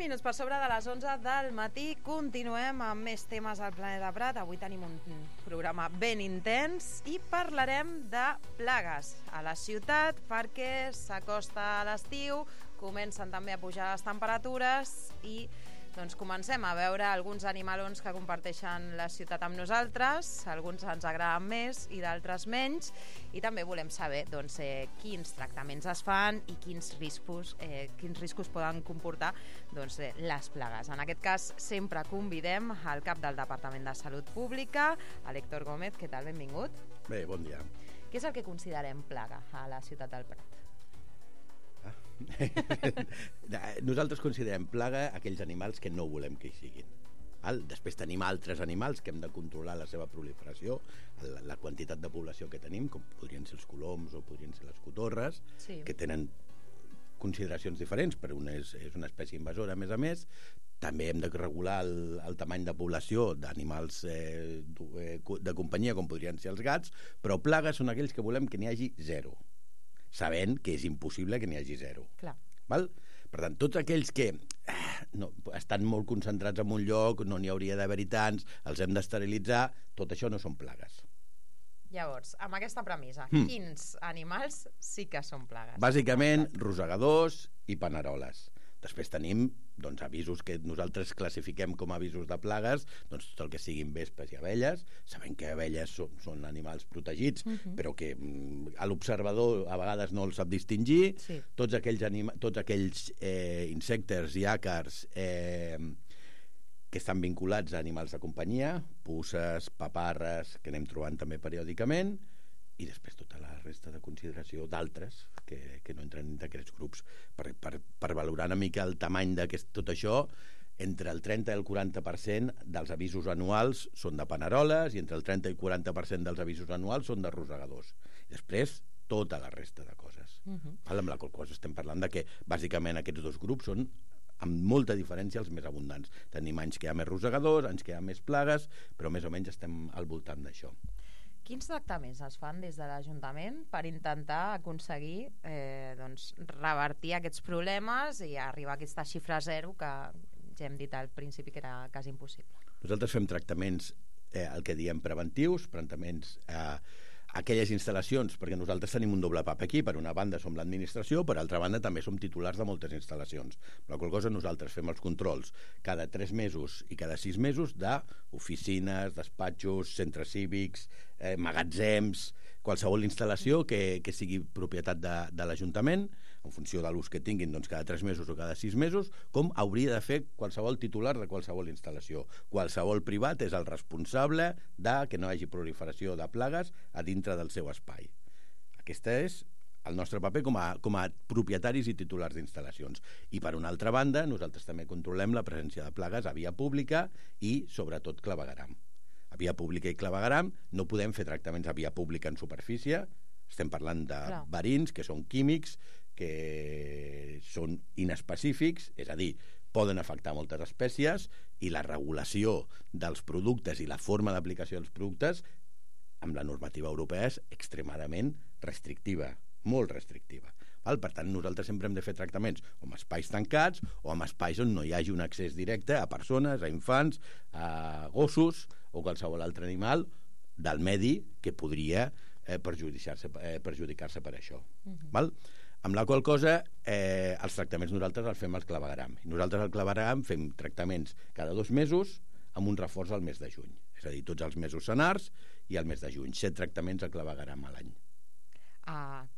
minuts per sobre de les 11 del matí. Continuem amb més temes al Planeta Prat. Avui tenim un programa ben intens i parlarem de plagues a la ciutat perquè s'acosta l'estiu, comencen també a pujar les temperatures i doncs comencem a veure alguns animalons que comparteixen la ciutat amb nosaltres. Alguns ens agraden més i d'altres menys. I també volem saber doncs, quins tractaments es fan i quins riscos poden comportar doncs, les plagues. En aquest cas, sempre convidem al cap del Departament de Salut Pública, a l'Héctor Gómez. Què tal? Benvingut. Bé, bon dia. Què és el que considerem plaga a la ciutat del Prat? Nosaltres considerem plaga aquells animals que no volem que hi siguin. Després tenim altres animals que hem de controlar la seva proliferació, la quantitat de població que tenim, com podrien ser els coloms o podrien ser les cotorres, sí, que tenen consideracions diferents, però una és una espècie invasora, a més. També hem de regular el tamany de població d'animals de companyia, com podrien ser els gats, però plagues són aquells que volem que n'hi hagi zero, sabent que és impossible que n'hi hagi zero. Clar. Val? Per tant, tots aquells que estan molt concentrats en un lloc, no n'hi hauria d'haver-hi tants, els hem d'esterilitzar, tot això no són plagues. Llavors, amb aquesta premissa, quins animals sí que són plagues? Bàsicament, rosegadors i paneroles. Després tenim avisos que nosaltres classifiquem com a avisos de plagues, doncs tot el que siguin vespes i abelles. Sabem que abelles són animals protegits, però que a l'observador a vegades no els sap distingir. Sí. Tots aquells insectes i àcars que estan vinculats a animals de companyia, puces, paparres, que anem trobant també periòdicament, i després tota la resta de consideració d'altres que no entren en aquests grups. Per valorar una mica el tamany d'aquest tot això, entre el 30 i el 40% dels avisos anuals són de paneroles i entre el 30 i el 40% dels avisos anuals són de rosegadors. I després tota la resta de coses. Amb la qual cosa estem parlant de que bàsicament aquests dos grups són amb molta diferència els més abundants. Tenim anys que hi ha més rosegadors, anys que hi ha més plagues, però més o menys estem al voltant d'això. Quins tractaments es fan des de l'Ajuntament per intentar aconseguir revertir aquests problemes i arribar a aquesta xifra zero que ja hem dit al principi que era quasi impossible? Nosaltres fem tractaments, el que diem preventius, tractaments aquelles instal·lacions, perquè nosaltres tenim un doble paper aquí, per una banda som l'administració, per altra banda també som titulars de moltes instal·lacions. Per la qual cosa nosaltres fem els controls cada 3 mesos i cada 6 mesos d'oficines, despatxos, centres cívics, magatzems, qualsevol instal·lació que sigui propietat de l'Ajuntament, en funció de l'ús que tinguin, doncs cada 3 mesos o cada 6 mesos, com hauria de fer qualsevol titular de qualsevol instal·lació. Qualsevol privat és el responsable de que no hi hagi proliferació de plagues a dintre del seu espai. Aquest és el nostre paper com a propietaris i titulars d'instal·lacions. I per una altra banda, nosaltres també controlem la presència de plagues a via pública i sobretot clavegueram. A via pública i clavegueram no podem fer tractaments a via pública en superfície. Estem parlant de verins que són químics, que són inespecífics, és a dir, poden afectar moltes espècies, i la regulació dels productes i la forma d'aplicació dels productes amb la normativa europea és extremadament restrictiva, molt restrictiva. Per tant, nosaltres sempre hem de fer tractaments o amb espais tancats o amb espais on no hi hagi un accés directe a persones, a infants, a gossos o qualsevol altre animal del medi que podria perjudicar-se per això. Amb la qual cosa els tractaments nosaltres els fem al clavegueram. Nosaltres al clavegueram fem tractaments cada 2 mesos amb un reforç al mes de juny. És a dir, tots els mesos senars i al mes de juny. 7 tractaments a clavegueram a l'any.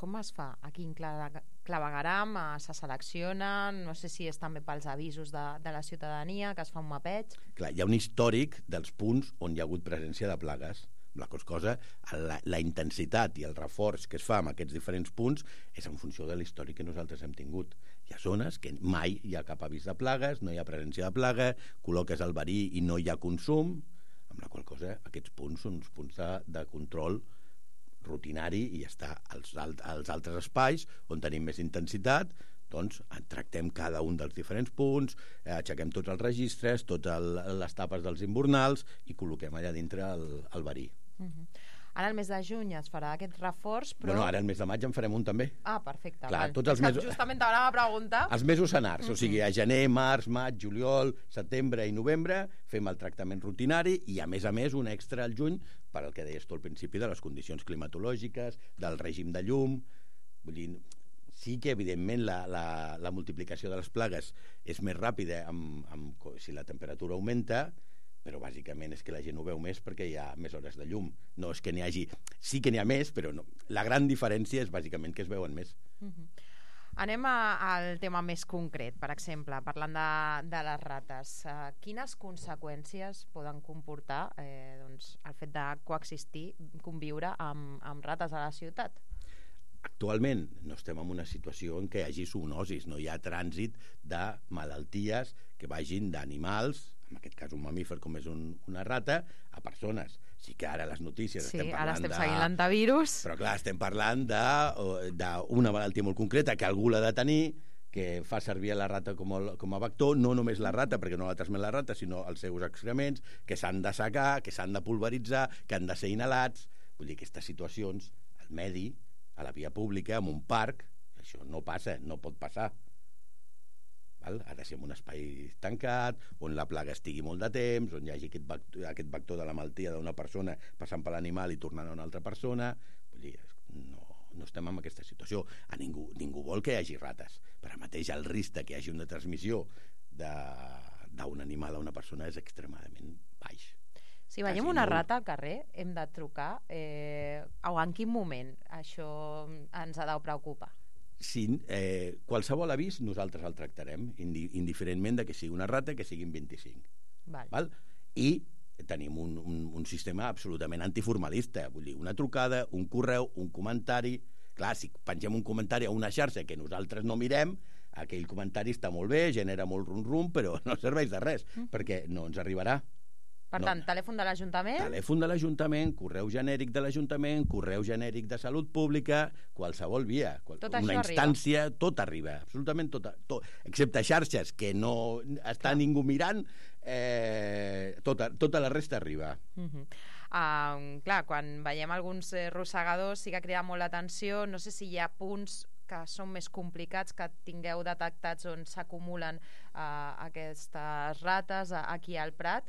Com es fa? Aquí en clavegueram se seleccionen, no sé si és també pels avisos de la ciutadania, que es fa un mapeig. Clar, hi ha un històric dels punts on hi ha hagut presència de plagues. La cosa, la intensitat i el reforç que es fa amb aquests diferents punts és en funció de l'històric que nosaltres hem tingut. Hi ha zones que mai hi ha cap avís de plagues, no hi ha presència de plaga, col·loques el verí i no hi ha consum, amb la qual cosa aquests punts són uns punts de control rutinari i ja està. Als altres espais on tenim més intensitat, doncs tractem cada un dels diferents punts, aixequem tots els registres, totes les tapes dels invernals i col·loquem allà dintre el verí. Ara el mes de juny es farà aquest reforç, però... Bueno, ara el mes de maig en farem un també. Ah, perfecte. Clar, tots els mesos... Justament t'anava a preguntar. Els mesos senars, o sigui, a gener, març, maig, juliol, setembre i novembre fem el tractament rutinari i, a més, un extra al juny per al que deies tu al principi de les condicions climatològiques, del règim de llum. Vull dir, sí que, evidentment, la multiplicació de les plagues és més ràpida si la temperatura augmenta, però bàsicament és que la gent ho veu més perquè hi ha més hores de llum. No és que n'hi hagi... Sí que n'hi ha més, però no. La gran diferència és bàsicament que es veuen més. Anem al tema més concret, per exemple, parlant de les rates. Quines conseqüències poden comportar el fet de coexistir, conviure amb rates a la ciutat? Actualment no estem en una situació en què hi hagi zoonosis, no hi ha trànsit de malalties que vagin d'animals, en aquest cas un mamífer com és una rata, a persones. Sí que ara les notícies estem parlant ara estem seguint l'antivirus. Però clar, estem parlant d'una malaltia molt concreta que algú l'ha de tenir, que fa servir la rata com a vector, no només la rata, perquè no la transmet la rata, sinó els seus excrements, que s'han de secar, que s'han de pulveritzar, que han de ser inhalats. Vull dir, aquestes situacions, al medi, a la via pública, en un parc, això no passa, no pot passar. Val? Ha de ser en un espai tancat, on la plaga estigui molt de temps, on hi hagi aquest vector de la malaltia d'una persona passant per l'animal i tornant a una altra persona. Vull dir, no estem en aquesta situació. Ningú vol que hi hagi rates. Però mateix el risc que hi hagi una transmissió d'un animal a una persona és extremadament baix. Si veiem una rata al carrer, hem de trucar o en quin moment això ens ha de preocupar? Sí, qualsevol avís nosaltres el tractarem, indiferentment de que sigui una rata, que siguin 25. Val? I tenim un sistema absolutament antiformalista, vull dir, una trucada, un correu, un comentari. Clar, si pengem un comentari a una xarxa que nosaltres no mirem, aquell comentari està molt bé, genera molt rum-rum, però no serveix de res, perquè no ens arribarà. Per tant, telèfon de l'Ajuntament? Telèfon de l'Ajuntament, correu genèric de l'Ajuntament, correu genèric de Salut Pública, qualsevol via, una instància, tot arriba, absolutament tot, excepte xarxes que no està ningú mirant, tota la resta arriba. Clar, quan veiem alguns rosegadors sí que crida molt l'atenció, no sé si hi ha punts que són més complicats, que tingueu detectats on s'acumulen aquestes rates aquí al Prat.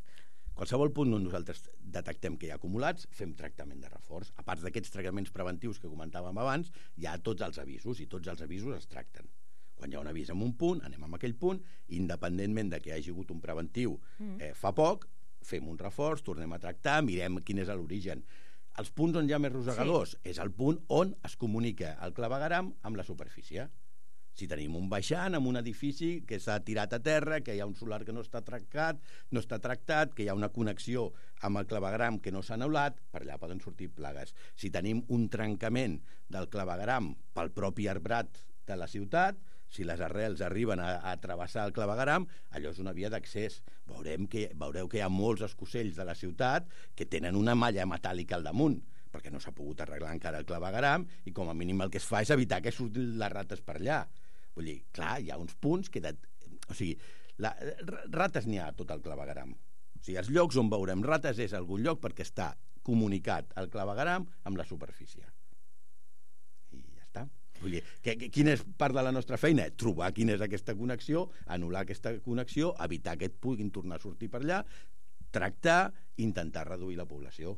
Qualsevol punt on nosaltres detectem que hi ha acumulats, fem tractament de reforç. A part d'aquests tractaments preventius que comentàvem abans, hi ha tots els avisos, i tots els avisos es tracten. Quan hi ha un avís en un punt, anem a aquell punt, independentment de que hi hagi hagut un preventiu fa poc, fem un reforç, tornem a tractar, mirem quin és l'origen. Els punts on hi ha més rosegadors és el punt on es comunica el clavegueram amb la superfície. Si tenim un baixant amb un edifici que s'ha tirat a terra, que hi ha un solar que no està tractat, que hi ha una connexió amb el clavegueram que no s'ha anul·lat, per allà poden sortir plagues. Si tenim un trencament del clavegueram pel propi arbrat de la ciutat, si les arrels arriben a travessar el clavegueram, allò és una via d'accés. Veureu que hi ha molts escocells de la ciutat que tenen una malla metàl·lica al damunt, perquè no s'ha pogut arreglar encara el clavegueram, i com a mínim el que es fa és evitar que surtin les rates per allà. Vull dir, clar, hi ha uns punts que... O sigui, rates n'hi ha a tot el clavegueram. O sigui, els llocs on veurem rates és algun lloc perquè està comunicat el clavegueram amb la superfície. I ja està. Vull dir, quina és part de la nostra feina? Trobar quina és aquesta connexió, anul·lar aquesta connexió, evitar que et puguin tornar a sortir per allà, tractar, intentar reduir la població.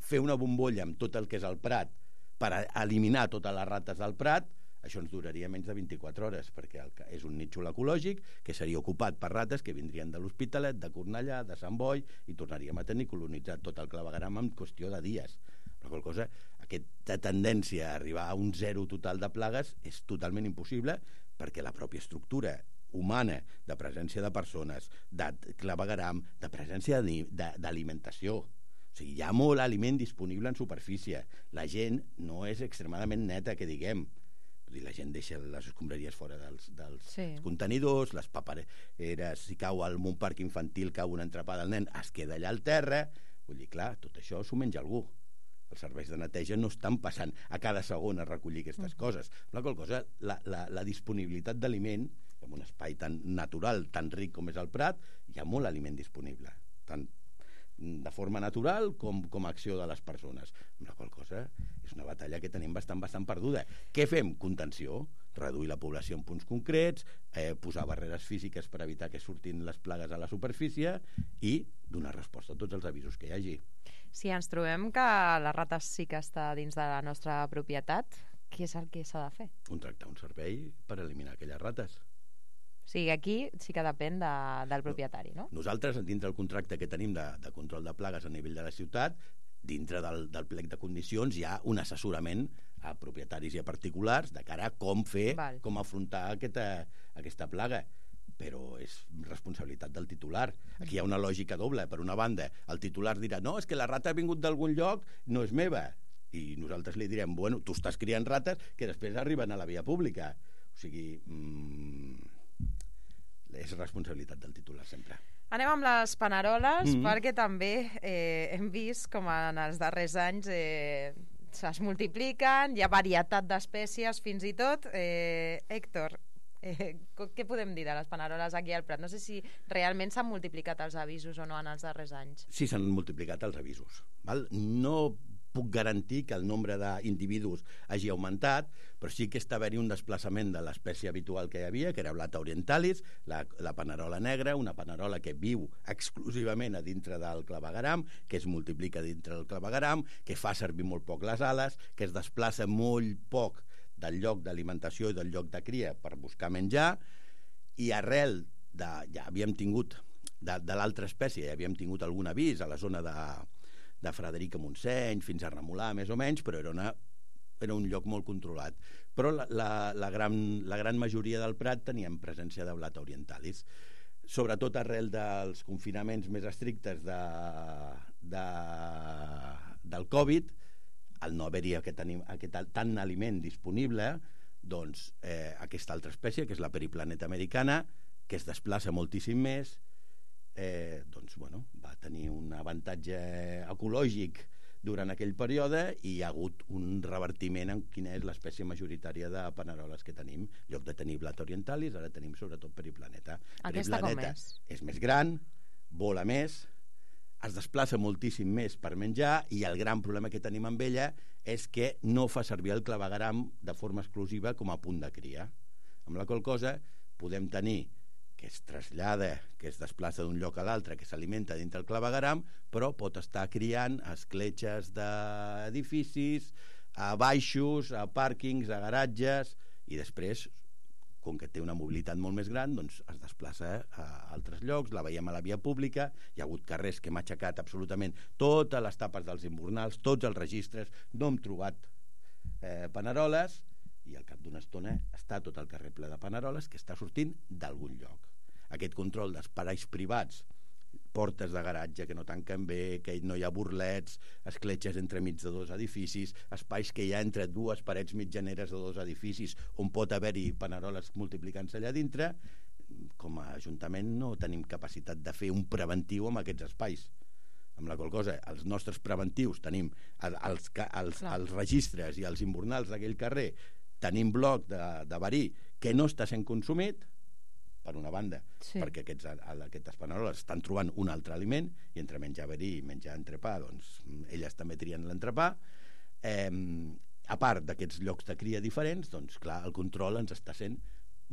Fer una bombolla amb tot el que és el Prat per eliminar totes les rates del Prat, això ens duraria menys de 24 hores, perquè és un nínxol ecològic que seria ocupat per rates que vindrien de l'Hospitalet, de Cornellà, de Sant Boi, i tornaríem a tenir colonitzat tot el clavegueram en qüestió de dies. La qual cosa, aquesta tendència a arribar a un zero total de plagues és totalment impossible, perquè la pròpia estructura humana, de presència de persones, de clavegueram, de presència d'alimentació. O sigui, hi ha molt aliment disponible en superfície. La gent no és extremadament neta, que diguem. La gent deixa les escombraries fora dels contenidors, les papereres, si cau en un parc infantil, cau una entrapada al nen, es queda allà al terra. Vull dir, clar, tot això s'ho menja algú. Els serveis de neteja no estan passant a cada segon a recollir aquestes coses. La qual cosa, la disponibilitat d'aliment, en un espai tan natural, tan ric com és el Prat, hi ha molt aliment disponible. de forma natural com a acció de les persones. Amb la qual cosa és una batalla que tenim bastant perduda. Què fem? Contenció, reduir la població en punts concrets, posar barreres físiques per evitar que surtin les plagues a la superfície i donar resposta a tots els avisos que hi hagi. Si ens trobem que les rates sí que està dins de la nostra propietat, què és el que s'ha de fer? Contractar un servei per eliminar aquelles rates. O sigui, aquí sí que depèn del propietari, no? Nosaltres, dintre del contracte que tenim de control de plagues a nivell de la ciutat, dintre del plec de condicions hi ha un assessorament a propietaris i a particulars de cara a com fer, com afrontar aquesta plaga. Però és responsabilitat del titular. Aquí hi ha una lògica doble. Per una banda, el titular dirà no, és que la rata ha vingut d'algun lloc, no és meva. I nosaltres li direm, bueno, tu estàs criant rates que després arriben a la via pública. O sigui, és responsabilitat del titular sempre. Anem amb les paneroles, perquè també hem vist com en els darrers anys es multipliquen, hi ha varietat d'espècies fins i tot. Héctor, què podem dir de les paneroles aquí al Prat? No sé si realment s'han multiplicat els avisos o no en els darrers anys. Sí, s'han multiplicat els avisos. Val? No puc garantir que el nombre d'individus hagi augmentat, però sí que està haver-hi un desplaçament de l'espècie habitual que hi havia, que era Blata orientalis, la panerola negra, una panerola que viu exclusivament a dintre del clavegueram, que es multiplica dintre del clavegueram, que fa servir molt poc les ales, que es desplaça molt poc del lloc d'alimentació i del lloc de cria per buscar menjar, i arrel ja havíem tingut de l'altra espècie, ja havíem tingut algun avís a la zona de Frederica Montseny, fins a Remolà, més o menys, però era un lloc molt controlat. Però la gran majoria del Prat teníem presència de Blata orientalis. Sobretot arrel dels confinaments més estrictes del Covid, al no haver-hi aquest tant aliment disponible, doncs aquesta altra espècie, que és la periplaneta americana, que es desplaça moltíssim més, doncs, bueno, va tenir un avantatge ecològic durant aquell període i hi ha hagut un revertiment en quina és l'espècie majoritària de paneroles que tenim. En lloc de tenir Blata orientalis, ara tenim sobretot periplaneta. Aquesta com és? És més gran, vola més, es desplaça moltíssim més per menjar i el gran problema que tenim amb ella és que no fa servir el clavegueram de forma exclusiva com a punt de cria. Amb la qual cosa podem tenir que es trasllada, que es desplaça d'un lloc a l'altre, que s'alimenta dintre el clavegueram, però pot estar criant a escletxes d'edificis, a baixos, a pàrquings, a garatges, i després, com que té una mobilitat molt més gran, doncs es desplaça a altres llocs, la veiem a la via pública, hi ha hagut carrers que hem aixecat absolutament totes les tapes dels invernals, tots els registres, no hem trobat paneroles, i al cap d'una estona està tot el carrer ple de paneroles que està sortint d'algun lloc. Aquest control d'espais privats, portes de garatge que no tanquen bé, que no hi ha burlets, escletxes entremig de dos edificis, espais que hi ha entre dues parets mitjaneres de dos edificis on pot haver-hi paneroles multiplicant-se allà dintre, com a Ajuntament no tenim capacitat de fer un preventiu amb aquests espais. Amb la qual cosa, els nostres preventius tenim els registres i els invernals d'aquell carrer, tenim bloc de verí que no està sent consumit, per una banda, perquè aquestes paneroles estan trobant un altre aliment, i entre menjar verí i menjar entrepà, doncs elles també trien l'entrepà. A part d'aquests llocs de cria diferents, doncs clar, el control ens està sent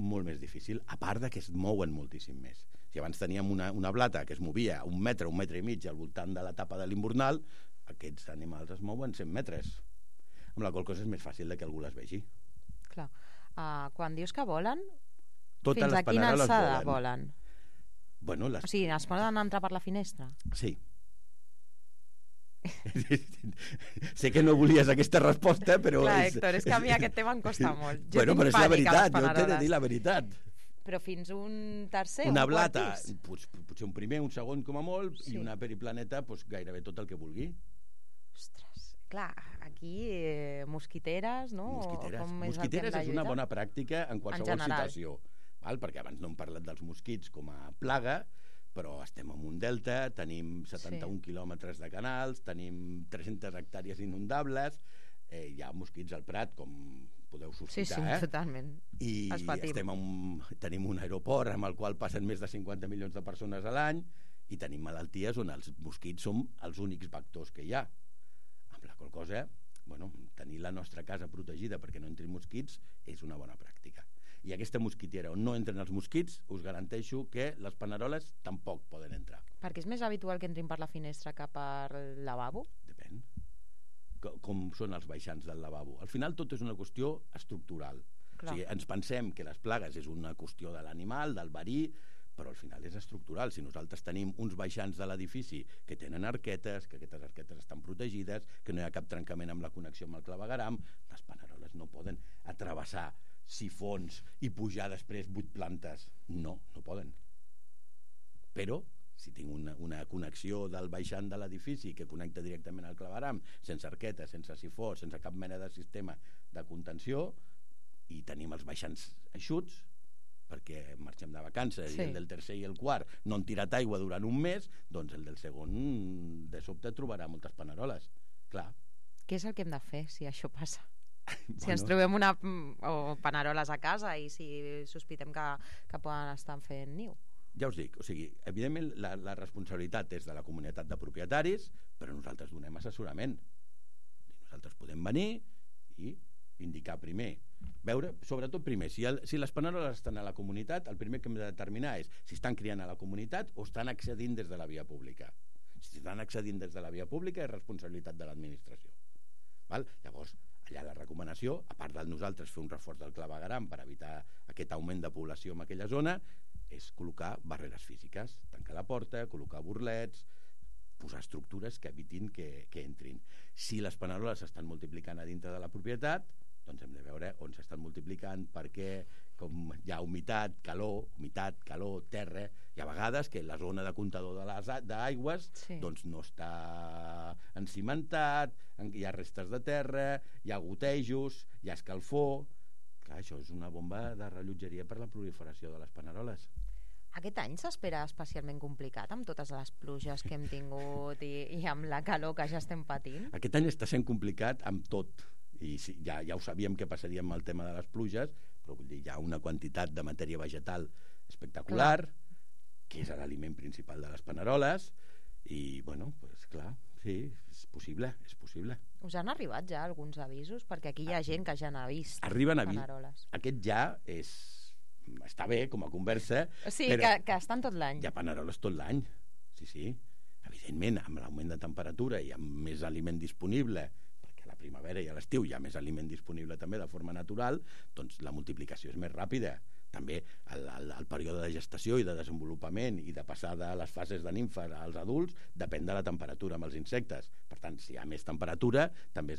molt més difícil, a part de que es mouen moltíssim més. Si abans teníem una blata que es movia un metre i mig al voltant de la tapa de l'invernal, aquests animals es mouen 100 metres, amb la qual cosa és més fàcil que algú les vegi. Clar. Quan dius que volen, totes fins a quina alçada volen? Bueno, o sigui, es poden entrar per la finestra? Sí. Sé que no volies aquesta resposta, però... Clar, Héctor, és que a mi aquest tema em costa molt. Bueno, però és la veritat, jo t'he de dir la veritat. Però fins un tercer, una blata, potser un primer, un segon com a molt, i una periplaneta, gairebé tot el que vulgui. Ostres, clar, aquí mosquiteres, no? Mosquiteres és una bona pràctica en qualsevol situació, perquè abans no hem parlat dels mosquits com a plaga, però estem en un delta, tenim 71 quilòmetres de canals, tenim 300 hectàrees inundables, hi ha mosquits al Prat, com podeu sospitar. Sí, totalment. I tenim un aeroport amb el qual passen més de 50 milions de persones a l'any, i tenim malalties on els mosquits són els únics vectors que hi ha. Amb la qual cosa, tenir la nostra casa protegida perquè no entrin mosquits és una bona pràctica. I aquesta mosquitera on no entren els mosquits, us garanteixo que les paneroles tampoc poden entrar. Perquè és més habitual que entrin per la finestra que per lavabo? Depèn. Com són els baixants del lavabo. Al final tot és una qüestió estructural. Clar. O sigui, ens pensem que les plagues és una qüestió de l'animal, del verí, però al final és estructural. Si nosaltres tenim uns baixants de l'edifici que tenen arquetes, que aquestes arquetes estan protegides, que no hi ha cap trencament amb la connexió amb el clavegueram, les paneroles no poden travessar sifons i pujar després 8 plantes. No poden. Però si tinc una connexió del baixant de l'edifici que connecta directament al claveguram, sense arqueta, sense sifó, sense cap mena de sistema de contenció, i tenim els baixants eixuts, perquè marxem de vacances i el del tercer i el quart no han tirat aigua durant un mes, doncs el del segon de sobte trobarà moltes paneroles. Clar. Què és el que hem de fer si això passa? Si ens trobem paneroles a casa i si sospitem que poden estar fent niu. Ja us dic, o sigui, evidentment la responsabilitat és de la comunitat de propietaris, però nosaltres donem assessorament. Nosaltres podem venir i indicar primer, veure, sobretot primer, si les paneroles estan a la comunitat, el primer que hem de determinar és si estan criant a la comunitat o estan accedint des de la via pública. Si estan accedint des de la via pública és responsabilitat de l'administració. Llavors, allà la recomanació, a part de nosaltres fer un reforç del clavegueram per evitar aquest augment de població en aquella zona, és col·locar barreres físiques, tancar la porta, col·locar burlets, posar estructures que evitin que entrin. Si les paneroles s'estan multiplicant a dintre de la propietat, doncs hem de veure on s'estan multiplicant, perquè com hi ha humitat, calor, terra, i a vegades que la zona de comptador d'aigües doncs no està encimentat, hi ha restes de terra, hi ha gotejos, hi ha escalfor. Clar, això és una bomba de rellotgeria per la proliferació de les paneroles. Aquest any s'espera especialment complicat amb totes les pluges que hem tingut i amb la calor que ja estem patint? Aquest any està sent complicat amb tot. I sí, ja ho sabíem que passaria amb el tema de les pluges, però vull dir, hi ha una quantitat de matèria vegetal espectacular, que és l'aliment principal de les paneroles, i, clar, sí, és possible. Us han arribat ja alguns avisos? Perquè aquí hi ha gent que ja n'ha vist paneroles. Aquest ja està bé com a conversa, però que estan tot l'any. Hi ha paneroles tot l'any, sí. Evidentment, amb l'augment de temperatura i amb més aliment disponible, perquè a la primavera i a l'estiu hi ha més aliment disponible també de forma natural, doncs la multiplicació és més ràpida. També el període de gestació i de desenvolupament i de passar de les fases de nimfa als adults depèn de la temperatura amb els insectes. Per tant, si hi ha més temperatura, també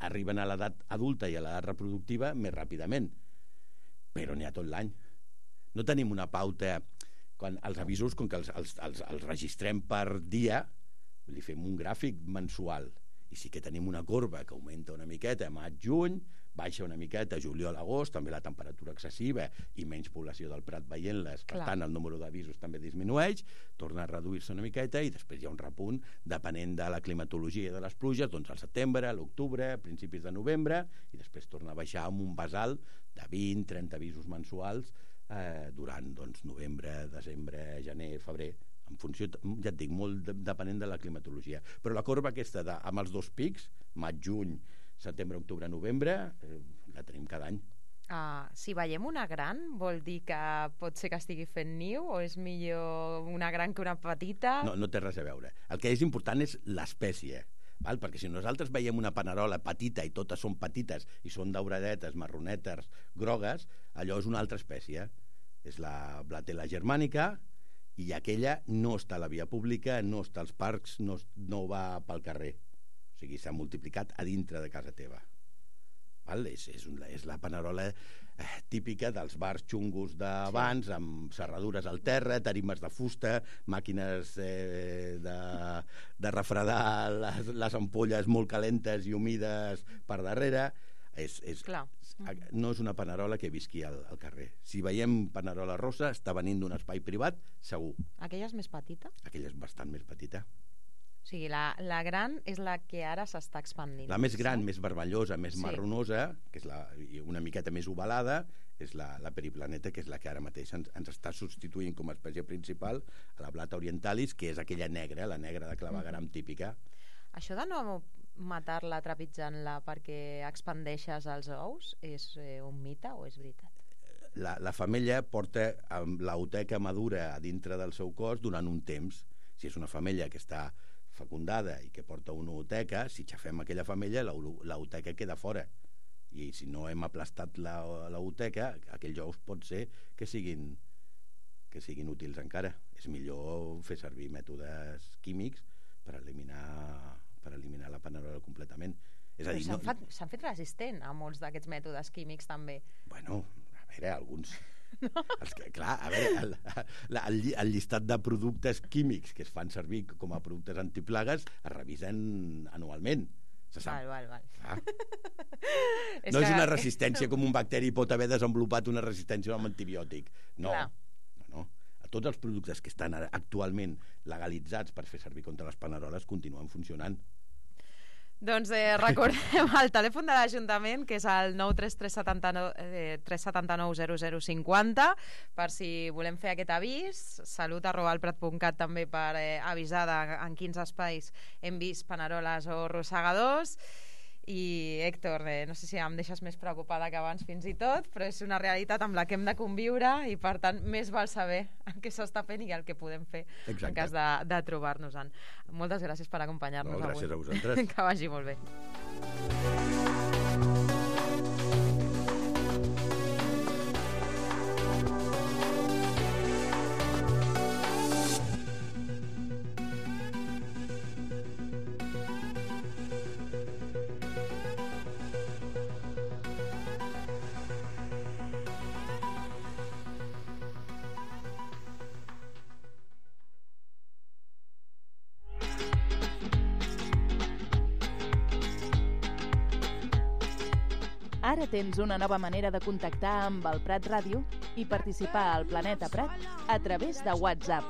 arriben a l'edat adulta i a l'edat reproductiva més ràpidament. Però n'hi ha tot l'any. No tenim una pauta, quan els avisos, com que els registrem per dia, li fem un gràfic mensual, i sí que tenim una corba que augmenta una miqueta a maig-juny, baixa una miqueta a juliol-agost, també la temperatura excessiva i menys població del Prat veient-les, per tant el número d'avisos també disminueix, torna a reduir-se una miqueta i després hi ha un repunt depenent de la climatologia de les pluges, doncs al setembre, a l'octubre, a principis de novembre, i després torna a baixar amb un basal de 20-30 avisos mensuals durant novembre, desembre, gener, febrer, en funció, ja et dic, molt depenent de la climatologia. Però la corba aquesta amb els dos pics, maig-juny, setembre, octubre, novembre, la tenim cada any. Si veiem una gran, vol dir que pot ser que estigui fent niu o és millor una gran que una petita? No té res a veure. El que és important és l'espècie, perquè si nosaltres veiem una panerola petita i totes són petites i són dauradetes, marronetes, grogues, allò és una altra espècie. És la Blatella germànica, i aquella no està a la via pública, no està als parcs, no va pel carrer. O sigui, s'ha multiplicat a dintre de casa teva. És la panerola típica dels bars xungos d'abans, amb serradures al terra, tarimes de fusta, màquines de refredar les ampolles molt calentes i humides per darrere. No és una panerola que visqui al carrer. Si veiem panerola rossa, està venint d'un espai privat, segur. Aquella és més petita? Aquella és bastant més petita. O sigui, la gran és la que ara s'està expandint. La més gran, més vermellosa, més marronosa, que és una miqueta més ovalada, és la periplaneta, que és la que ara mateix ens està substituint com a espècie principal a la Blata orientalis, que és aquella negra, la negra de clavegueram típica. Això de no matar-la trepitjant-la perquè expandeixes els ous és un mite o és veritat? La femella porta l'ooteca madura a dintre del seu cos durant un temps. Si és una femella que està fecundada i que porta una ooteca, si xafem aquella femella, l'ooteca queda fora. I si no hem aplastat l'ooteca, aquells ous pot ser que siguin útils encara. És millor fer servir mètodes químics per eliminar la panerola completament. És a dir, s'han fet resistent a molts d'aquests mètodes químics també. Bueno, a veure, alguns... No. Clar, a veure, el llistat de productes químics que es fan servir com a productes antiplagues es revisen anualment. Se sap. Val. No és una resistència com un bacteri pot haver desenvolupat una resistència a un antibiòtic. No. Tots els productes que estan actualment legalitzats per fer servir contra les paneroles continuen funcionant. Doncs recordem el telèfon de l'Ajuntament, que és el 933790050, per si volem fer aquest avís. salut@alprat.cat també per avisar en quins espais hem vist paneroles o rosegadors. I Héctor, no sé si em deixes més preocupada que abans fins i tot, però és una realitat amb la que hem de conviure i per tant més val saber el que s'està fent i el que podem fer. Exacte. En cas de trobar-nos-en. Moltes gràcies per acompanyar-nos avui. Gràcies a vosaltres. Que vagi molt bé. Ara tens una nova manera de contactar amb el Prat Ràdio i participar al Planeta Prat a través de WhatsApp.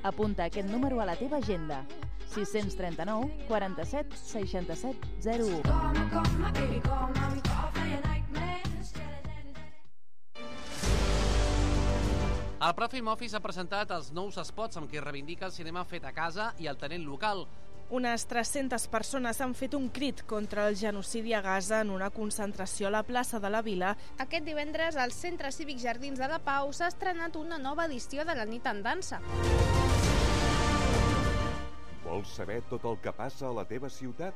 Apunta aquest número a la teva agenda: 639 47 67 01. El Prat Film Office ha presentat els nous spots amb què reivindica el cinema fet a casa i el talent local. Unes 300 persones han fet un crit contra el genocidi a Gaza en una concentració a la plaça de la Vila. Aquest divendres, al Centre Cívic Jardins de la Pau s'ha estrenat una nova edició de la Nit en Dansa. Vols saber tot el que passa a la teva ciutat?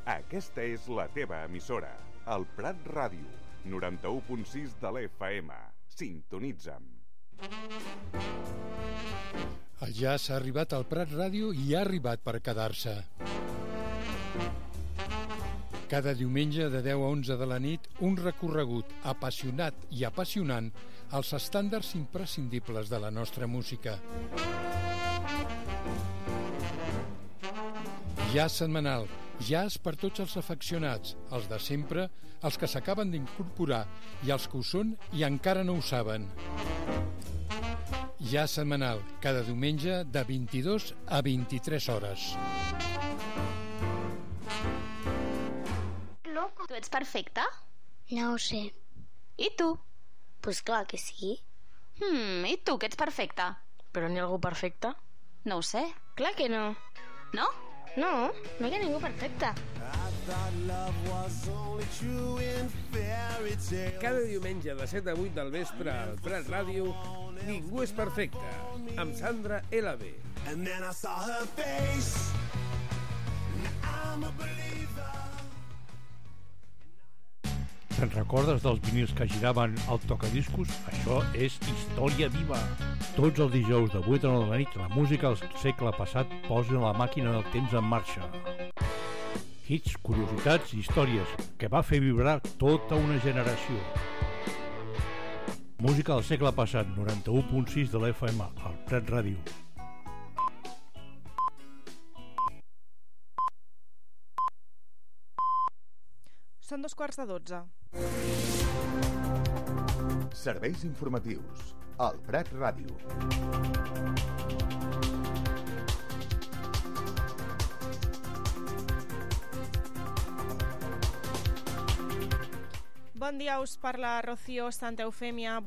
Aquesta és la teva emissora, el Prat Ràdio, 91.6 de l'FM. Sintonitza'm. El jazz ha arribat al Prat Ràdio i ha arribat per quedar-se. Cada diumenge de 10 a 11 de la nit, un recorregut apassionat i apassionant als estàndards imprescindibles de la nostra música. Jazz setmanal, jazz per tots els afeccionats, els de sempre, els que s'acaben d'incorporar i els que ho són i encara no ho saben. Jazz setmanal, cada diumenge de 22 a 23 hores. Loco, tu ets perfecta? No ho sé. I tu? Pues clar que sí. I tu, que ets perfecta? Però n'hi ha algú perfecte? No ho sé. Clar que no. No? No, no hi ha ningú perfecte. Cada diumenge de 7 a 8 del vespre al Prat Ràdio, Ningú és perfecte, amb Sandra LB. Te'n recordes dels vinils que giraven al tocadiscos? Això és història viva. Tots els dijous de 8 a 9 de la nit, la música del segle passat posa la màquina del temps en marxa. Hits, curiositats i històries que va fer vibrar tota una generació. Música del segle passat, 91.6 de l'FM, al Prat Ràdio. Són 2:45. Serveis informatius, al Prat Ràdio. Bon dia, us parla Rocío Santa Eufèmia.